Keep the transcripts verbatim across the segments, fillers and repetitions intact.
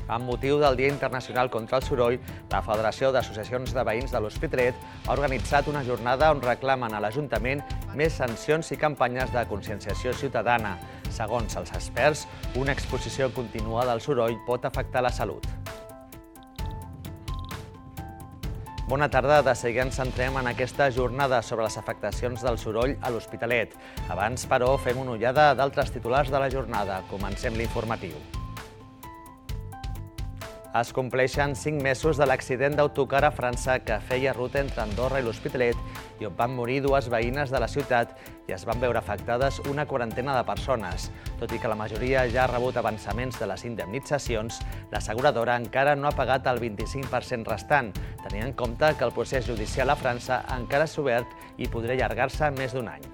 Amb motiu del Dia Internacional contra el Soroll, la Federació d'Associacions de Veïns de l'Hospitalet ha organitzat una jornada on reclamen a l'Ajuntament més sancions i campanyes de conscienciació ciutadana. Segons els experts, una exposició contínua del soroll pot afectar la salut. Bona tarda, de seguida ens centrem en aquesta jornada sobre les afectacions del soroll a l'Hospitalet. Abans, però, fem una ullada d'altres titulars de la jornada. Comencem l'informatiu. Es compleixen cinc mesos de l'accident d'autocar a França que feia ruta entre Andorra i l'Hospitalet i on van morir dues veïnes de la ciutat i es van veure afectades una quarantena de persones. Tot i que la majoria ja ha rebut avançaments de les indemnitzacions, l'asseguradora encara no ha pagat el vint-i-cinc per cent restant, tenint en compte que el procés judicial a França encara és obert i podria allargar-se més d'un any.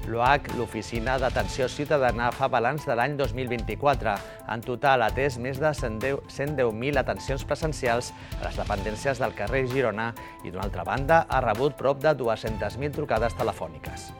L'O H, l'Oficina d'Atenció Ciutadana, fa balanç de l'any dos mil vint-i-quatre. En total ha atès més de cent deu mil atencions presencials a les dependències del carrer Girona i, d'una altra banda, ha rebut prop de dues-centes mil trucades telefòniques.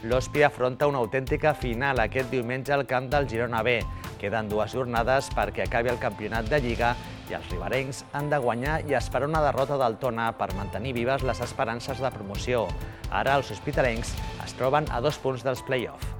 L'Hòspia afronta una autèntica final aquest diumenge al camp del Girona B. Queden dues jornades perquè acabi el campionat de Lliga i els riberencs han de guanyar i esperar una derrota del Tona per mantenir vives les esperances de promoció. Ara els hospitalencs es troben a dos punts dels play-off.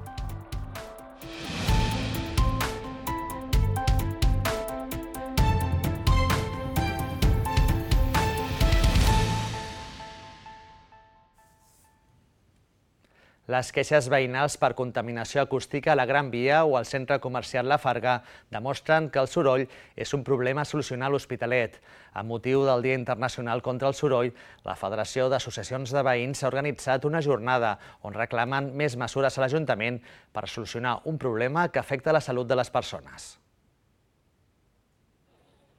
Les queixes veïnals per contaminació acústica a la Gran Via o al centre comercial La Farga demostren que el soroll és un problema a solucionar a l'Hospitalet. Amb motiu del Dia Internacional contra el Soroll, la Federació d'Associacions de Veïns ha organitzat una jornada on reclamen més mesures a l'Ajuntament per solucionar un problema que afecta la salut de les persones.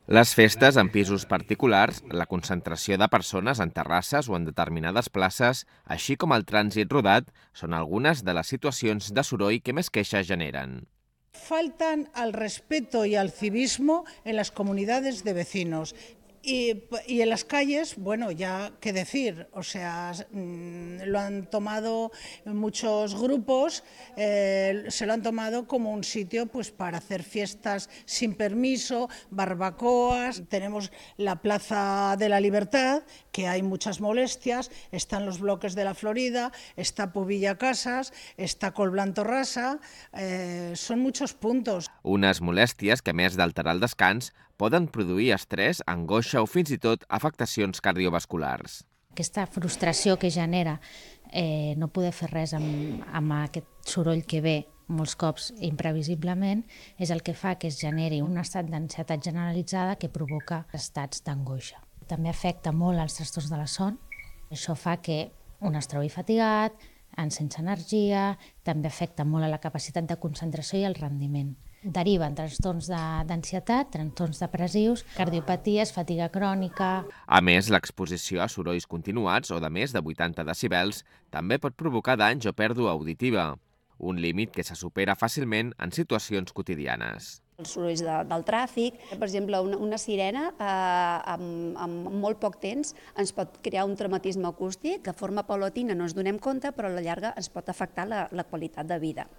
Les festes en pisos particulars, la concentració de persones en terrasses o en determinades places, així com el trànsit rodat, són algunes de les situacions de soroll que més queixes generen. Faltan al respeto y al civismo en las comunidades de vecinos. Y, y en las calles, bueno, ya qué decir, o sea, lo han tomado muchos grupos, eh, se lo han tomado como un sitio pues para hacer fiestas sin permiso, barbacoas. Tenemos la Plaza de la Libertad, que hay muchas molestias, están los bloques de la Florida, está Pubilla Casas, está Colblanto Rasa, eh, son muchos puntos. Unes molèsties que, a més d'alterar el descans, poden produir estrès, angoixa o fins i tot afectacions cardiovasculars. Aquesta frustració que genera eh, no poder fer res amb, amb aquest soroll que ve molts cops imprevisiblement és el que fa que es generi un estat d'ansietat generalitzada que provoca estats d'angoixa. També afecta molt els trastorns de la son. Això fa que un es trobi fatigat, sense energia, també afecta molt a la capacitat de concentració i el rendiment. Deriven trastorns d'ansietat, trastorns depressius, cardiopaties, fatiga crònica. A més, l'exposició a sorolls continuats o de més de vuitanta decibels també pot provocar danys o pèrdua auditiva, un límit que se supera fàcilment en situacions quotidianes. Els sorolls de, del tràfic, per exemple, una, una sirena eh, amb, amb molt poc temps ens pot crear un traumatisme acústic que de forma paulatina no ens donem compte, però a la llarga ens pot afectar la, la qualitat de vida,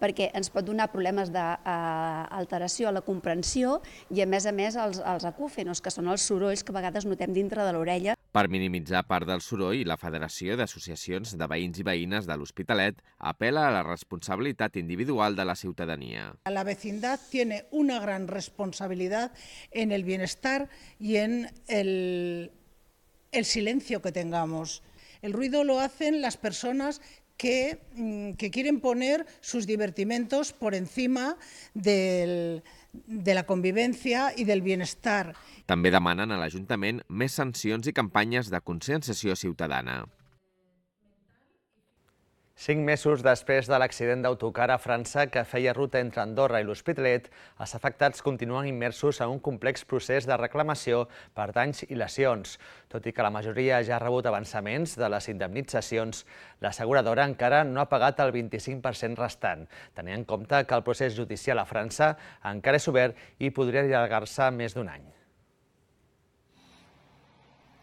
perquè ens pot donar problemes d'alteració a la comprensió i, a més a més, els, els acúfenos, que són els sorolls que a vegades notem dintre de l'orella. Per minimitzar part del soroll, la Federació d'Associacions de Veïns i Veïnes de l'Hospitalet apela a la responsabilitat individual de la ciutadania. La vecindad tiene una gran responsabilidad en el bienestar y en el, el silencio que tengamos. El ruido lo hacen las personas que, que quieren poner sus divertimentos por encima del, de la convivencia y del bienestar. També demanen a l'Ajuntament més sancions i campanyes de conscienciació ciutadana. Cinc mesos després de l'accident d'autocar a França que feia ruta entre Andorra i l'Hospitalet, els afectats continuen immersos en un complex procés de reclamació per danys i lesions. Tot i que la majoria ja ha rebut avançaments de les indemnitzacions, l'asseguradora encara no ha pagat el vint-i-cinc per cent restant, tenint en compte que el procés judicial a França encara és obert i podria allargar-se més d'un any.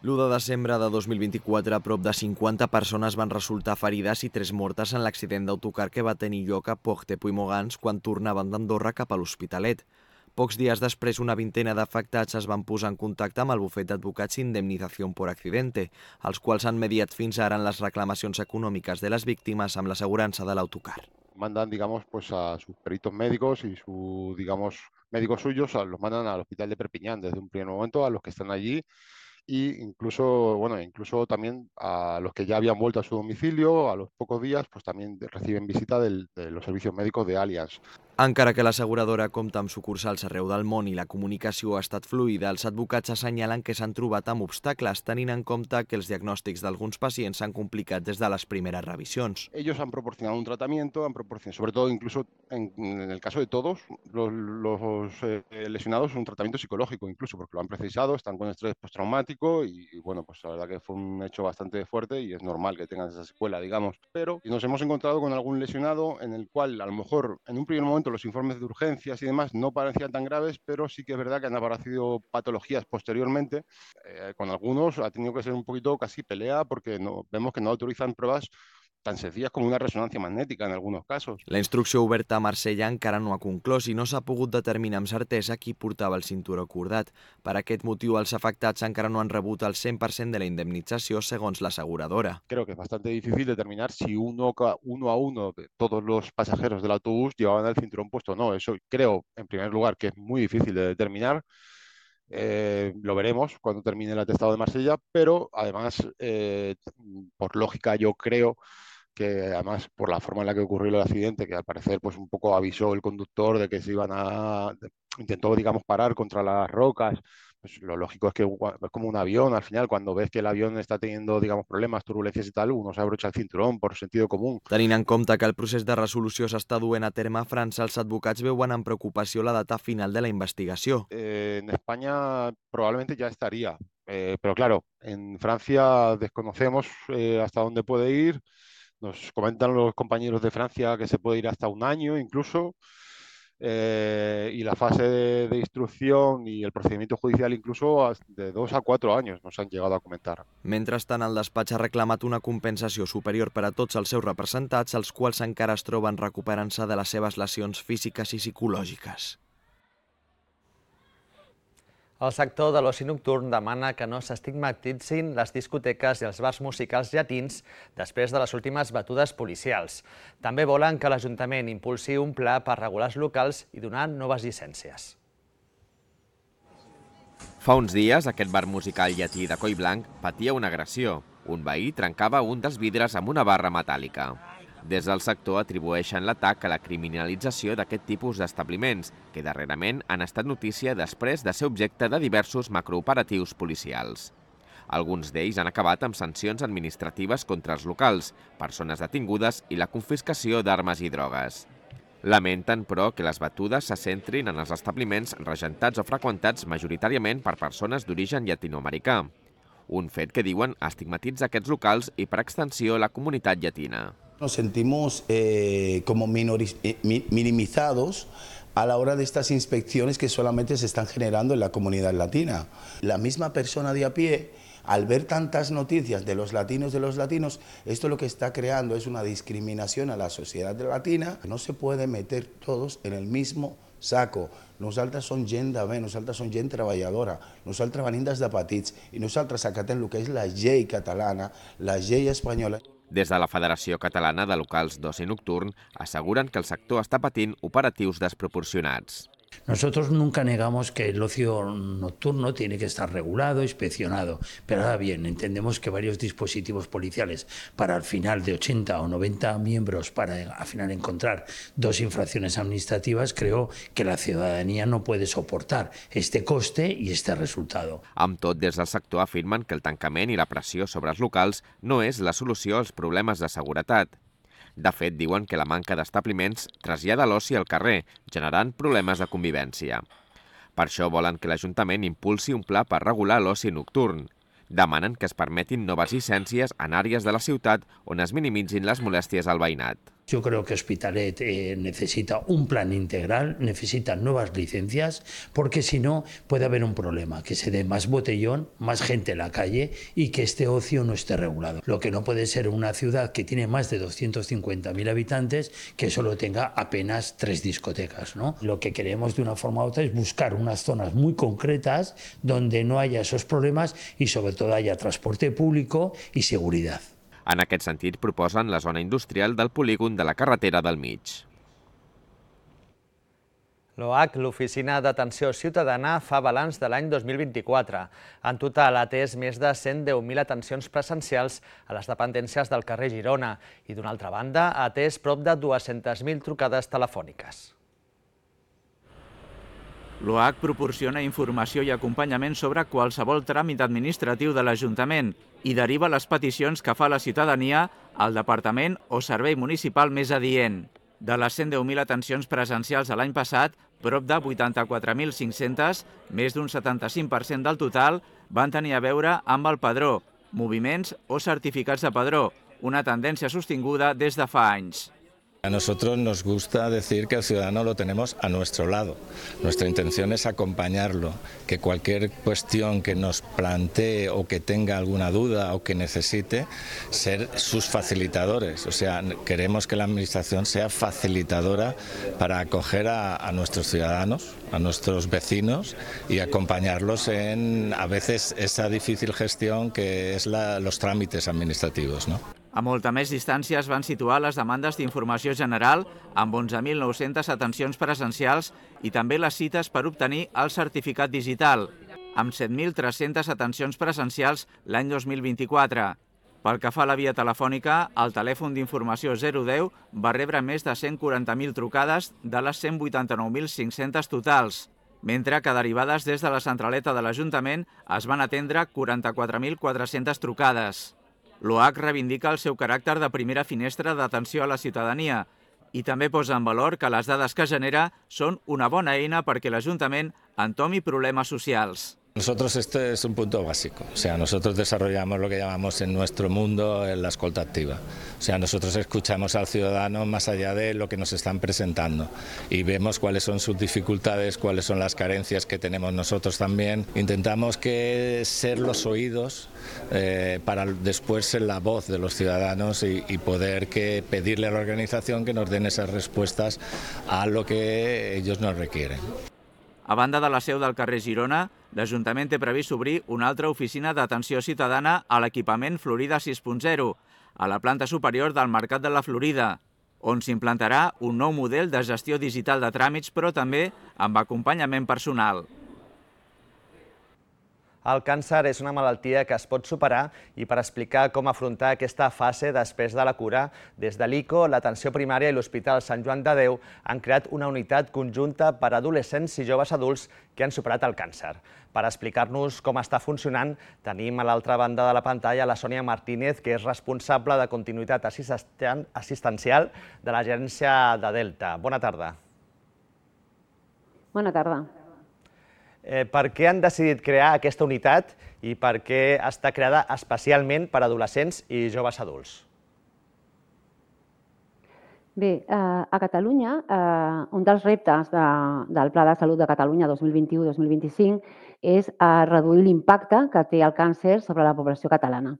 l'u de desembre de dos mil vint-i-quatre, prop de cinquanta persones van resultar ferides i tres mortes en l'accident d'autocar que va tenir lloc a Port-de-Puigmogans quan tornaven d'Andorra cap a l'Hospitalet. Pocs dies després, una vintena d'afectats es van posar en contacte amb el bufet d'advocats Indemnización por Accidente, els quals han mediat fins ara en les reclamacions econòmiques de les víctimes amb l'assegurança de l'autocar. Mandan, digamos, pues a sus peritos médicos y sus, digamos, médicos suyos, los mandan al hospital de Perpiñán desde un primer momento a los que están allí. Y incluso, bueno, incluso también a los que ya habían vuelto a su domicilio, a los pocos días, pues también reciben visita del, de los servicios médicos de Allianz. Encara que l'asseguradora compta amb sucursals arreu del món i la comunicació ha estat fluida, els advocats assenyalen que s'han trobat amb obstacles, tenint en compte que els diagnòstics d'alguns pacients s'han complicat des de les primeres revisions. Ellos han proporcionado un tratamiento, han proporcionado, sobre todo incluso en, en el caso de todos los, los eh, lesionados, un tratamiento psicológico incluso, porque lo han precisado, están con estrés postraumático y, y bueno, pues la verdad que fue un hecho bastante fuerte y es normal que tengan esa secuela, digamos. Pero nos hemos encontrado con algún lesionado en el cual a lo mejor en un primer momento los informes de urgencias y demás no parecían tan graves, pero sí que es verdad que han aparecido patologías posteriormente. Eh, con algunos ha tenido que ser un poquito casi pelea porque no, vemos que no autorizan pruebas tan sencillas com una ressonància magnètica en alguns casos. La instrucció oberta a Marsella encara no ha conclòs i no s'ha pogut determinar amb certesa qui portava el cinturó cordat. Per aquest motiu, els afectats encara no han rebut el cent per cent de la indemnització segons l'aseguradora. Creo que es bastante difícil determinar si uno, uno a uno de todos los pasajeros del autobús llevaban el cinturón puesto o no. Eso creo, en primer lugar, que es muy difícil de determinar. Eh, lo veremos cuando termine el atestado de Marsella, pero además, eh, por lógica, yo creo que además por la forma en la que ocurrió el accidente, que al parecer pues un poco avisó el conductor de que se iban a... intentó, digamos, parar contra las rocas, pues lo lógico es que es como un avión, al final, cuando ves que el avión está teniendo, digamos, problemas, turbulencias i tal, uno s'abrocha el cinturón por sentido común. Tenint en compte que el procés de resolució s'està duent a terme a França, els advocats veuen amb preocupació la data final de la investigació. Eh, en España probablemente ya estaría, eh, pero claro, en Francia desconocemos eh, hasta dónde puede ir. Nos comentan los compañeros de Francia que se puede ir hasta un año incluso, eh, y la fase de, de instrucción y el procedimiento judicial incluso de dos a cuatro años nos han llegado a comentar. Mentrestant, el despatx ha reclamat una compensació superior per a tots els seus representats, els quals encara es troben recuperant-se de les seves lesions físiques i psicològiques. El sector de l'oci nocturn demana que no s'estigmatitzin les discoteques i els bars musicals llatins després de les últimes batudes policials. També volen que l'Ajuntament impulsi un pla per regular els locals i donar noves llicències. Fa uns dies, aquest bar musical llatí de Collblanc patia una agressió. Un veí trencava un dels vidres amb una barra metàl·lica. Des del sector atribueixen l'atac a la criminalització d'aquest tipus d'establiments, que darrerament han estat notícia després de ser objecte de diversos macrooperatius policials. Alguns d'ells han acabat amb sancions administratives contra els locals, persones detingudes i la confiscació d'armes i drogues. Lamenten, però, que les batudes se centrin en els establiments regentats o freqüentats majoritàriament per persones d'origen llatinoamericà. Un fet que diuen estigmatitza aquests locals i, per extensió, la comunitat llatina. Nos sentimos eh, como minoriz minimizados a la hora de estas inspecciones que solamente se están generando en la comunidad latina. La misma persona de a pie, al ver tantas noticias de los latinos de los latinos, esto lo que está creando es una discriminación a la sociedad latina. No se puede meter todos en el mismo saco. Nosaltres som gent de bé, nosaltres som gent treballadora, nosaltres venim des de petits i nosaltres acatem el que és la llei catalana, la llei espanyola. Des de la Federació Catalana de Locals d'Oci Nocturn asseguren que el sector està patint operatius desproporcionats. Nosotros nunca negamos que el ocio nocturno tiene que estar regulado, inspeccionado, pero ahora bien, entendemos que varios dispositivos policiales para al final de ochenta o noventa miembros para al final encontrar dos infracciones administrativas, creo que la ciudadanía no puede soportar este coste y este resultado. Amb tot, des del sector afirmen que el tancament i la pressió sobre els locals no és la solució als problemes de seguretat. De fet, diuen que la manca d'establiments trasllada l'oci al carrer, generant problemes de convivència. Per això volen que l'Ajuntament impulsi un pla per regular l'oci nocturn. Demanen que es permetin noves llicències en àrees de la ciutat on es minimitzin les molèsties al veïnat. Yo creo que Hospitalet eh, necesita un plan integral, necesita nuevas licencias, porque si no puede haber un problema, que se dé más botellón, más gente en la calle y que este ocio no esté regulado. Lo que no puede ser una ciudad que tiene más de doscientos cincuenta mil habitantes que solo tenga apenas tres discotecas, ¿no? Lo que queremos de una forma u otra es buscar unas zonas muy concretas donde no haya esos problemas y sobre todo haya transporte público y seguridad. En aquest sentit, proposen la zona industrial del polígon de la carretera del mig. L'O H, l'Oficina d'Atenció Ciutadana, fa balanç de l'any dos mil vint-i-quatre. En total ha atès més de cent deu mil atencions presencials a les dependències del carrer Girona i, d'una altra banda, ha atès prop de dues-centes mil trucades telefòniques. L'O H proporciona informació i acompanyament sobre qualsevol tràmit administratiu de l'Ajuntament i deriva les peticions que fa la ciutadania al departament o servei municipal més adient. De les cent deu mil atencions presencials de l'any passat, prop de vuitanta-quatre mil cinc-centes, més d'un setanta-cinc per cent del total, van tenir a veure amb el padró, moviments o certificats de padró, una tendència sostinguda des de fa anys. A nosotros nos gusta decir que el ciudadano lo tenemos a nuestro lado. Nuestra intención es acompañarlo, que cualquier cuestión que nos plantee o que tenga alguna duda o que necesite, ser sus facilitadores. O sea, queremos que la Administración sea facilitadora para acoger a, a nuestros ciudadanos, a nuestros vecinos y acompañarlos en, a veces, esa difícil gestión que es la, los trámites administrativos, ¿no? A molta més distància es van situar les demandes d'informació general amb onze mil nou-centes atencions presencials i també les cites per obtenir el certificat digital, amb set mil tres-centes atencions presencials l'any dos mil vint-i-quatre. Pel que fa a la via telefònica, el telèfon d'informació zero deu va rebre més de cent quaranta mil trucades de les cent vuitanta-nou mil cinc-centes totals, mentre que derivades des de la centraleta de l'Ajuntament es van atendre quaranta-quatre mil quatre-centes trucades. L'O H reivindica el seu caràcter de primera finestra d'atenció a la ciutadania i també posa en valor que les dades que genera són una bona eina perquè l'Ajuntament entomi problemes socials. Nosotros este es un punto básico, o sea, nosotros desarrollamos lo que llamamos en nuestro mundo la escolta activa. O sea, nosotros escuchamos al ciudadano más allá de lo que nos están presentando y vemos cuáles son sus dificultades, cuáles son las carencias que tenemos nosotros también. Intentamos que ser los oídos eh, para después ser la voz de los ciudadanos y, y poder que pedirle a la organización que nos den esas respuestas a lo que ellos nos requieren. A banda de la seu del carrer Girona, l'Ajuntament té previst obrir una altra oficina d'atenció ciutadana a l'equipament Florida sis punt zero, a la planta superior del Mercat de la Florida, on s'implantarà un nou model de gestió digital de tràmits, però també amb acompanyament personal. El càncer és una malaltia que es pot superar i per explicar com afrontar aquesta fase després de la cura, des de l'I C O, l'Atenció Primària i l'Hospital Sant Joan de Déu han creat una unitat conjunta per a adolescents i joves adults que han superat el càncer. Per explicar-nos com està funcionant, tenim a l'altra banda de la pantalla la Sònia Martínez, que és responsable de continuïtat assistencial de l'Agència de Delta. Bona tarda. Bona tarda. Eh, per què han decidit crear aquesta unitat i per què està creada especialment per a adolescents i joves adults? Bé, eh, a Catalunya, eh, un dels reptes de, del Pla de Salut de Catalunya dos mil vint-i-u dos mil vint-i-cinc és eh, reduir l'impacte que té el càncer sobre la població catalana.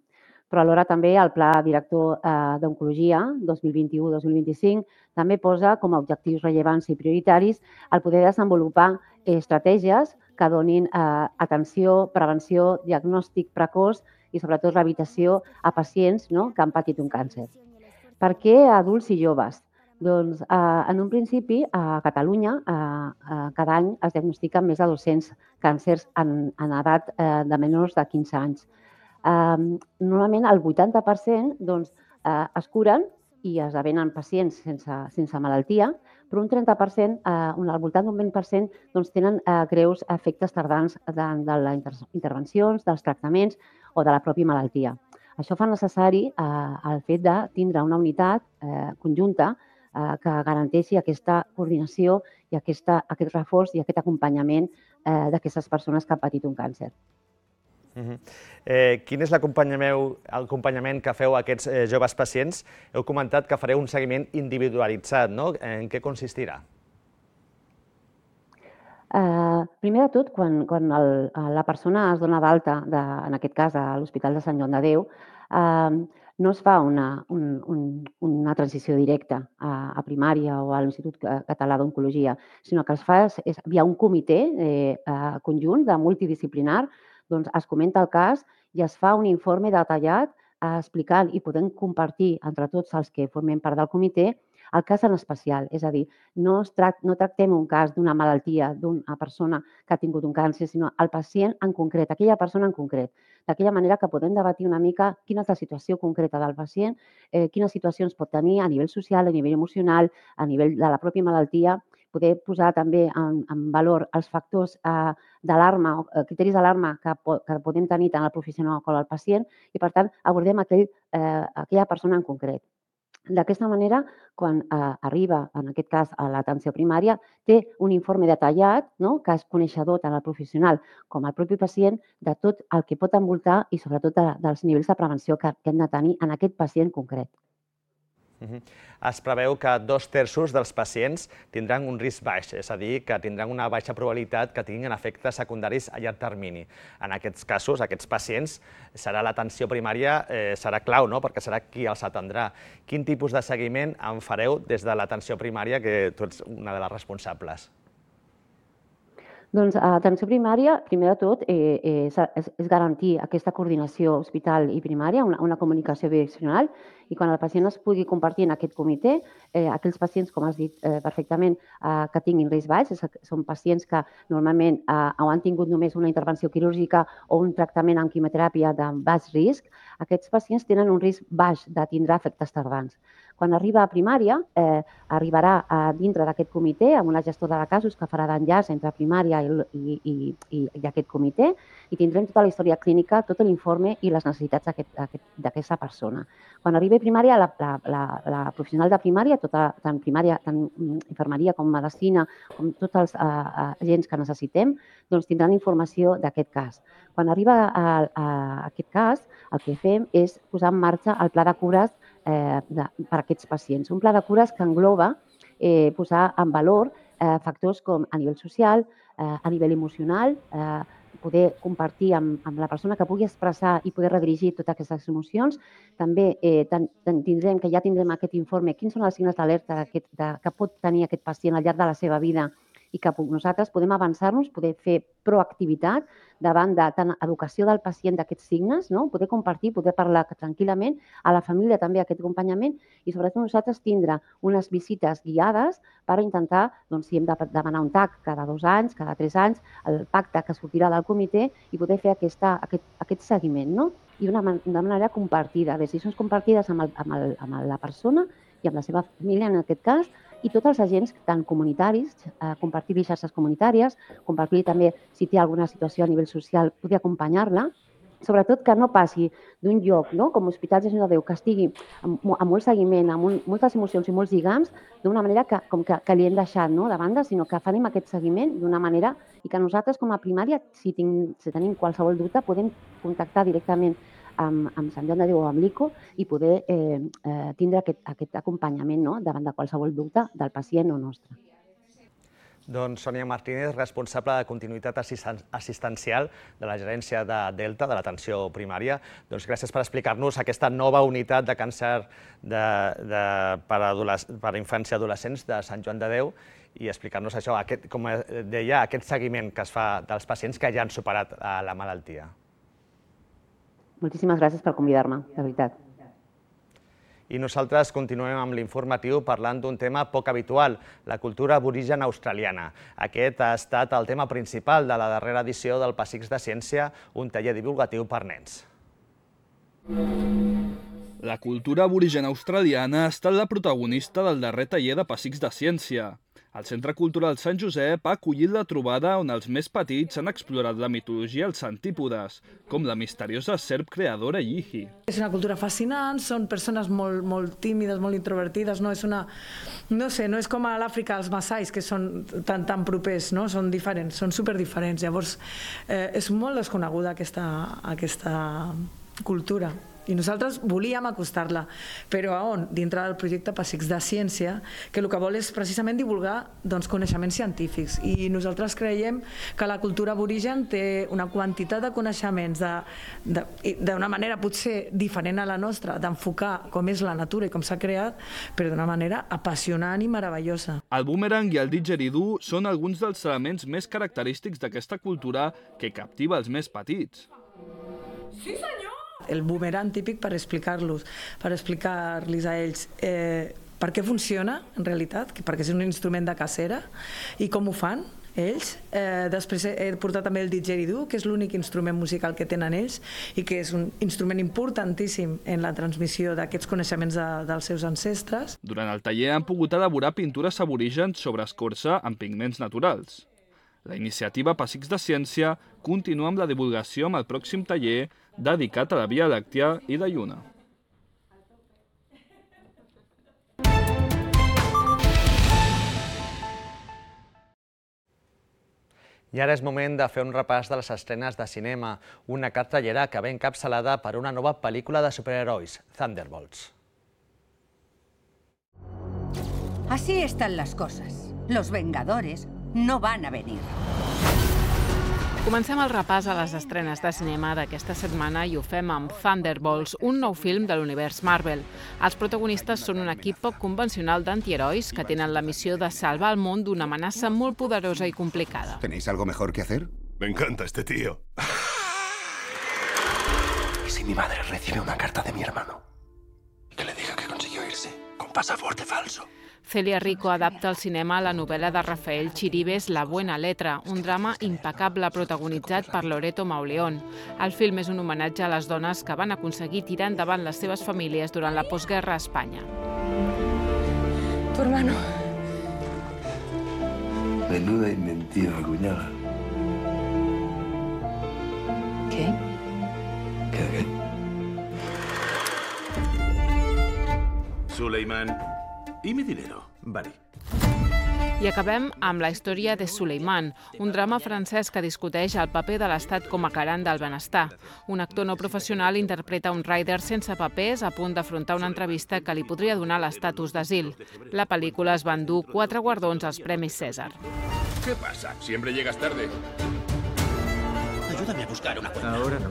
Però alhora també el Pla Director eh, d'Oncologia dos mil vint-i-u dos mil vint-i-cinc també posa com a objectius rellevants i prioritaris el poder desenvolupar estratègies que donin eh, atenció, prevenció, diagnòstic precoç i sobretot rehabilitació a pacients no, que han patit un càncer. Per què adults i joves? Doncs eh, en un principi a Catalunya eh, eh, cada any es diagnostiquen més de dos-cents càncers en, en edat eh, de menors de quinze anys. Eh, normalment el vuitanta per cent doncs, eh, es curen i esdevenen pacients sense, sense malaltia, però un trenta per cent, eh, al voltant d'un vint per cent, doncs, tenen eh, greus efectes tardans de, de les intervencions, dels tractaments o de la pròpia malaltia. Això fa necessari eh, el fet de tindre una unitat eh, conjunta eh, que garanteixi aquesta coordinació i aquesta, aquest reforç i aquest acompanyament eh, d'aquestes persones que han patit un càncer. Quin és l'acompanyament que feu a aquests joves pacients? Heu comentat que fareu un seguiment individualitzat, no? En què consistirà? Primer de tot, quan la persona es dona d'alta, en aquest cas a l'Hospital de Sant Joan de Déu, no es fa una transició directa a primària o a l'Institut Català d'Oncologia, sinó que es fa, hi ha un comitè conjunt multidisciplinar, doncs es comenta el cas i es fa un informe detallat explicant i podent compartir entre tots els que formem part del comitè el cas en especial. És a dir, no tractem un cas d'una malaltia, d'una persona que ha tingut un càncer, sinó el pacient en concret, aquella persona en concret. D'aquella manera que podem debatir una mica quina és la situació concreta del pacient, quines situacions pot tenir a nivell social, a nivell emocional, a nivell de la pròpia malaltia, poder posar també en valor els factors d'alarma, criteris d'alarma que podem tenir tant el professional com el pacient i, per tant, abordem aquella persona en concret. D'aquesta manera, quan arriba, en aquest cas, a l'atenció primària, té un informe detallat, que és coneixedor tant el professional com el propi pacient de tot el que pot envoltar i, sobretot, dels nivells de prevenció que hem de tenir en aquest pacient concret. Es preveu que dos terços dels pacients tindran un risc baix, és a dir, que tindran una baixa probabilitat que tinguin efectes secundaris a llarg termini. En aquests casos, aquests pacients, serà l'atenció primària, serà clau, perquè serà qui els atendrà. Quin tipus de seguiment en fareu des de l'atenció primària, que tu ets una de les responsables? Doncs l'atenció primària, primer de tot, és garantir aquesta coordinació hospital i primària, una comunicació bidireccional, i quan el pacient es pugui compartir en aquest comitè, aquells pacients, com has dit perfectament, que tinguin risc baix, són pacients que normalment o han tingut només una intervenció quirúrgica o un tractament amb quimioteràpia de baix risc, aquests pacients tenen un risc baix de tindre efectes tardans. Quan arriba a primària, arribarà dintre d'aquest comitè amb una gestora de casos que farà d'enllaç entre primària i aquest comitè i tindrem tota la història clínica, tot l'informe i les necessitats d'aquesta persona. Quan arribi a primària, la professional de primària, tant primària, tant infermeria com medicina, com tots els agents que necessitem, tindran informació d'aquest cas. Quan arriba a aquest cas, el que fem és posar en marxa el pla de cures per a aquests pacients. Un pla de cures que engloba posar en valor factors com a nivell social, a nivell emocional, poder compartir amb la persona que pugui expressar i poder redirigir totes aquestes emocions. També tindrem, que ja tindrem aquest informe, quins són els signes d'alerta que pot tenir aquest pacient al llarg de la seva vida i que nosaltres podem avançar-nos, poder fer proactivitat davant de tant educació del pacient d'aquests signes, poder compartir, poder parlar tranquil·lament, a la família també aquest acompanyament i sobretot nosaltres tindre unes visites guiades per intentar, si hem de demanar un T A C cada dos anys, cada tres anys, el pacte que sortirà del comitè i poder fer aquest seguiment i d'una manera compartida, decisions compartides amb la persona i amb la seva família en aquest cas, i tots els agents, tant comunitaris, compartir-li xarxes comunitàries, compartir també, si té alguna situació a nivell social, poder acompanyar-la, sobretot que no passi d'un lloc com l'Hospital de Sant Joan de Déu, que estigui amb molt seguiment, amb moltes emocions i molts lligams, d'una manera que li hem deixat de banda, sinó que farem aquest seguiment d'una manera i que nosaltres com a primària, si tenim qualsevol dubte, podem contactar directament amb Sant Joan de Déu o amb l'I C O i poder tindre aquest acompanyament davant de qualsevol dubte del pacient o nostre. Doncs Sònia Martínez, responsable de continuïtat assistencial de la gerència de Delta, de l'atenció primària. Doncs gràcies per explicar-nos aquesta nova unitat de càncer per a infants i adolescents de Sant Joan de Déu i explicar-nos això, com deia, aquest seguiment que es fa dels pacients que ja han superat la malaltia. Moltíssimes gràcies per convidar-me, de veritat. I nosaltres continuem amb l'informatiu parlant d'un tema poc habitual, la cultura aborigen australiana. Aquest ha estat el tema principal de la darrera edició del Pessics de Ciència, un taller divulgatiu per nens. La cultura aborigen australiana ha estat la protagonista del darrer taller de Pessics de Ciència. El Centre Cultural Sant Josep ha acollit la trobada on els més petits han explorat la mitologia als centípodes, com la misteriosa serp creadora Yihi. És una cultura fascinant, són persones molt, molt tímides, molt introvertides, no és una... No sé, no és com a l'Àfrica els massais, que són tan, tan propers, no? Són diferents, són superdiferents. Llavors, eh, és molt desconeguda aquesta, aquesta cultura. I nosaltres volíem acostar-la, però a on? Dintre del projecte Pessics de Ciència, que el que vol és precisament divulgar doncs, coneixements científics. I nosaltres creiem que la cultura aborigen té una quantitat de coneixements d'una manera potser diferent a la nostra, d'enfocar com és la natura i com s'ha creat, però d'una manera apassionant i meravellosa. El boomerang i el didgeridoo són alguns dels elements més característics d'aquesta cultura que captiva els més petits. Sí, senyor! El boomerang típic per explicar-los, per explicar-los a ells eh, per què funciona, en realitat, perquè és un instrument de cacera, i com ho fan ells. Eh, després he portat també el didgeridoo, que és l'únic instrument musical que tenen ells i que és un instrument importantíssim en la transmissió d'aquests coneixements de, dels seus ancestres. Durant el taller han pogut elaborar pintures aborígens sobre escorça amb pigments naturals. La iniciativa Pessics de Ciència continua amb la divulgació amb el pròxim taller dedicat a la Via Làctia i la Lluna. I ara és moment de fer un repàs de les estrenes de cinema, una cartellera que ve encapçalada per una nova pel·lícula de superherois, Thunderbolts. Así están las cosas. Los Vengadores no van a venir. Comencem el repàs a les estrenes de cinema d'aquesta setmana i ho fem amb Thunderbolts, un nou film de l'univers Marvel. Els protagonistes són un equip poc convencional d'antiherois que tenen la missió de salvar el món d'una amenaça molt poderosa i complicada. ¿Tenéis algo mejor que hacer? Me encanta este tío. ¿Y si mi madre recibe una carta de mi hermano? Que le diga que consiguió irse con pasaporte falso. Celia Rico adapta al cinema la novel·la de Rafael Chiribes La buena letra, un drama impecable protagonitzat per Loreto Mauleón. El film és un homenatge a les dones que van aconseguir tirar endavant les seves famílies durant la postguerra a Espanya. Tu hermano. Menuda inventiva, cuñada. ¿Qué? ¿Qué, qué? Suleiman, ¿y mi dinero? Vale. I acabem amb la història de Suleiman, un drama francès que discuteix el paper de l'Estat com a garant del benestar. Un actor no professional interpreta un rider sense papers a punt d'afrontar una entrevista que li podria donar l'estatus d'asil. La pel·lícula es va endur quatre guardons als Premis César. ¿Qué pasa? Siempre llegas tarde. Ayúdame a buscar una cuenta. Ahora no.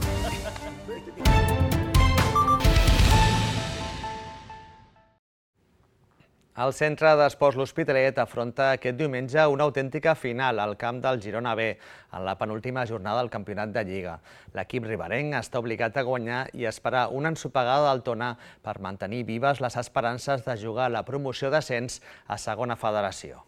El centre d'esports L'Hospitalet afronta aquest diumenge una autèntica final al camp del Girona B en la penúltima jornada del campionat de Lliga. L'equip riberenc està obligat a guanyar i esperar una ensopegada del Tona per mantenir vives les esperances de jugar a la promoció d'ascens a segona federació.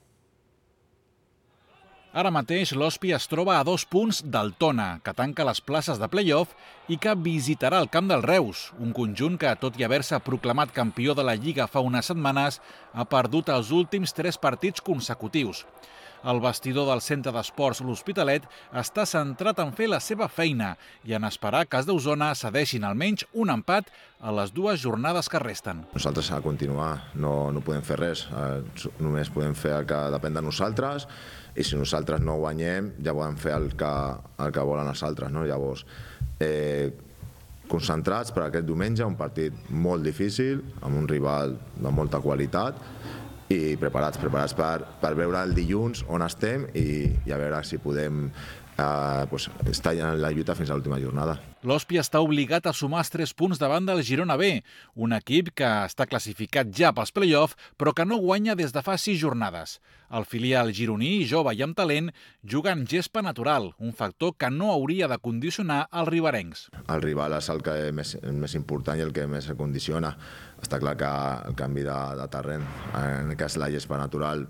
Ara mateix l'Hospi es troba a dos punts del Tona, que tanca les places de play-off i que visitarà el camp del Reus, un conjunt que, tot i haver-se proclamat campió de la Lliga fa unes setmanes, ha perdut els últims tres partits consecutius. El vestidor del centre d'esports L'Hospitalet està centrat en fer la seva feina i en esperar que els d'Osona cedeixin almenys un empat a les dues jornades que resten. Nosaltres a continuar no, no podem fer res, eh, només podem fer el que depèn de nosaltres i si nosaltres no guanyem ja podem fer el que, el que volen els altres. No? Llavors, eh, concentrats per aquest diumenge, un partit molt difícil, amb un rival de molta qualitat, i preparats, preparats per, per veure el dilluns on estem i, i a veure si podem eh, pues, estar en la lluita fins a l'última jornada. L'Hospi està obligat a sumar els tres punts davant del Girona B, un equip que està classificat ja pels play-off, però que no guanya des de fa sis jornades. El filial gironí, jove i amb talent, juga en gespa natural, un factor que no hauria de condicionar els riberencs. El rival és el que és més, més important i el que més se condiciona. Està clar que el canvi de, de terreny, en el cas la gespa natural,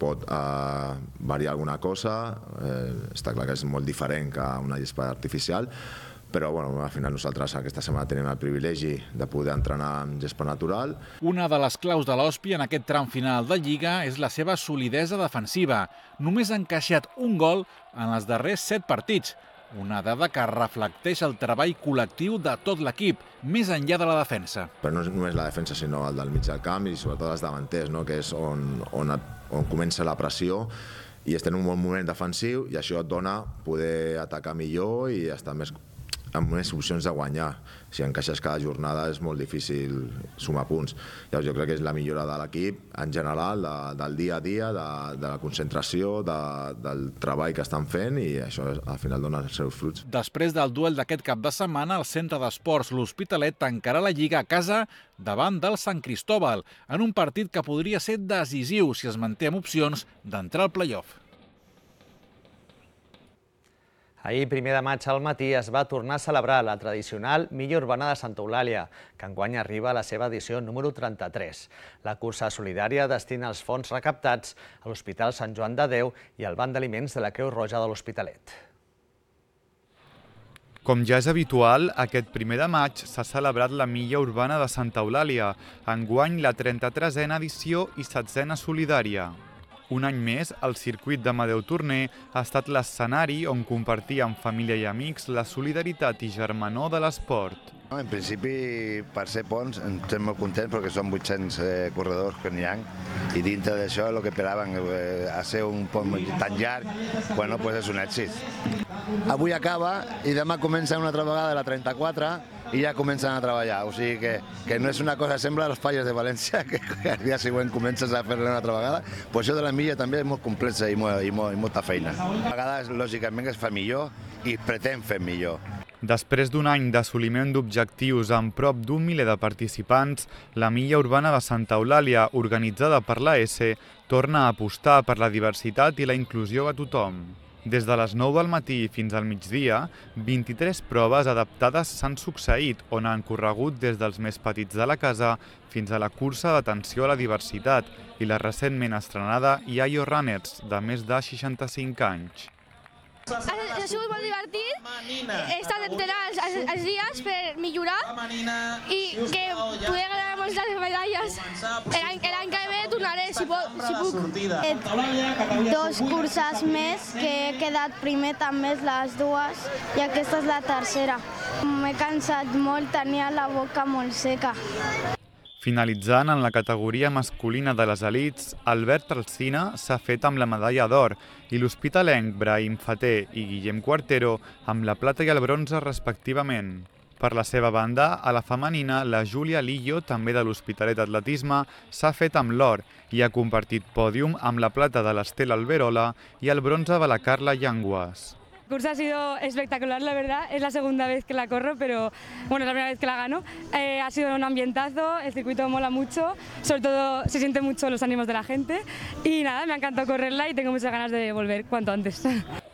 pot eh, variar alguna cosa, eh, està clar que és molt diferent que una gespa artificial, però bueno, al final nosaltres aquesta setmana tenim el privilegi de poder entrenar amb gespa natural. Una de les claus de l'Hòspia en aquest tram final de Lliga és la seva solidesa defensiva. Només ha encaixat un gol en els darrers set partits, una dada que reflecteix el treball col·lectiu de tot l'equip, més enllà de la defensa. Però no és només la defensa, sinó el del mig del camp i sobretot els davanters, no? Que és on, on, on comença la pressió i estem en un bon moment defensiu i això et dona poder atacar millor i estar més amb unes opcions de guanyar. Si encaixes cada jornada és molt difícil sumar punts. Llavors jo crec que és la millora de l'equip en general, de, del dia a dia, de, de la concentració, de, del treball que estan fent i això al final dona els seus fruits. Després del duel d'aquest cap de setmana, el Centre d'Esports L'Hospitalet tancarà la Lliga a casa davant del Sant Cristóbal, en un partit que podria ser decisiu si es manté amb opcions d'entrar al play-off. Ahir, primer de maig al matí, es va tornar a celebrar la tradicional Milla Urbana de Santa Eulàlia, que enguany arriba a la seva edició número trenta-tres. La cursa solidària destina els fons recaptats a l'Hospital Sant Joan de Déu i al Banc d'Aliments de la Creu Roja de l'Hospitalet. Com ja és habitual, aquest primer de maig s'ha celebrat la Milla Urbana de Santa Eulàlia, enguany la trenta-tresena edició i setzena solidària. Un any més, el circuit d'Amadeu Torner ha estat l'escenari on compartir amb família i amics la solidaritat i germanor de l'esport. En principi, per ser ponts, estem molt contents perquè són vuit-cents eh, corredors que n'hi ha i dintre d'això el que esperaven eh, a ser un pont tan llarg, bueno, pues és un èxit. Avui acaba i demà comença una altra vegada la trenta-quatre i ja comencen a treballar, o sigui que, que no és una cosa, sembla els falles de València, que el dia següent comences a fer-la una altra vegada, però això de la milla també és molt complexa i, molt, i, molt, i molta feina. A vegades, lògicament, es fa millor i pretén fer millor. Després d'un any d'assoliment d'objectius amb prop d'un miler de participants, la Milla Urbana de Santa Eulàlia, organitzada per l'A S, torna a apostar per la diversitat i la inclusió a tothom. Des de les nou del matí fins al migdia, vint-i-tres proves adaptades s'han succeït, on han corregut des dels més petits de la casa fins a la cursa d'atenció a la diversitat i la recentment estrenada Yayo Runners, de més de seixanta-cinc anys. Ha, ha sigut molt divertit, he estat entrenant els, els dies per millorar i que poder ganar moltes medalles. L'any que ve tornaré, si, pot, si puc. Dos curses més, que he quedat primer també les dues i aquesta és la tercera. M'he cansat molt, tenia la boca molt seca. Finalitzant en la categoria masculina de les elits, Albert Alsina s'ha fet amb la medalla d'or i l'hospitalenc Brahim Faté i Guillem Cuartero amb la plata i el bronze respectivament. Per la seva banda, a la femenina, la Júlia Lillo, també de l'Hospitalet Atletisme, s'ha fet amb l'or i ha compartit pòdium amb la plata de l'Estela Alberola i el bronze de la Carla Llanguas. La cursa ha sido espectacular, la verdad. Es la segunda vez que la corro, pero bueno, es la primera vez que la gano. Eh, ha sido un ambientazo, el circuito mola mucho, sobre todo se sienten mucho los ánimos de la gente y nada, me ha encantado correrla y tengo muchas ganas de volver cuanto antes.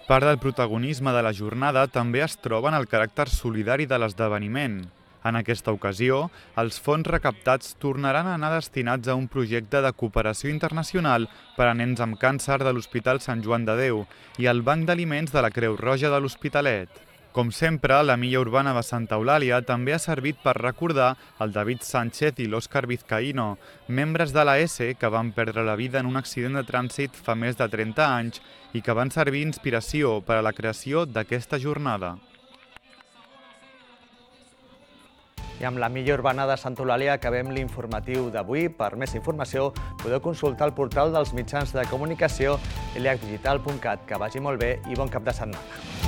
Part del protagonisme de la jornada també es troba en el caràcter solidari de l'esdeveniment. En aquesta ocasió, els fons recaptats tornaran a anar destinats a un projecte de cooperació internacional per a nens amb càncer de l'Hospital Sant Joan de Déu i al Banc d'Aliments de la Creu Roja de l'Hospitalet. Com sempre, la Milla Urbana de Santa Eulàlia també ha servit per recordar el David Sánchez i l'Òscar Vizcaíno, membres de l'A S que van perdre la vida en un accident de trànsit fa més de trenta anys i que van servir inspiració per a la creació d'aquesta jornada. I amb la Milla Urbana de Santa Eulàlia acabem l'informatiu d'avui. Per més informació podeu consultar el portal dels mitjans de comunicació i l h digital punt cat. Que vagi molt bé i bon cap de setmana.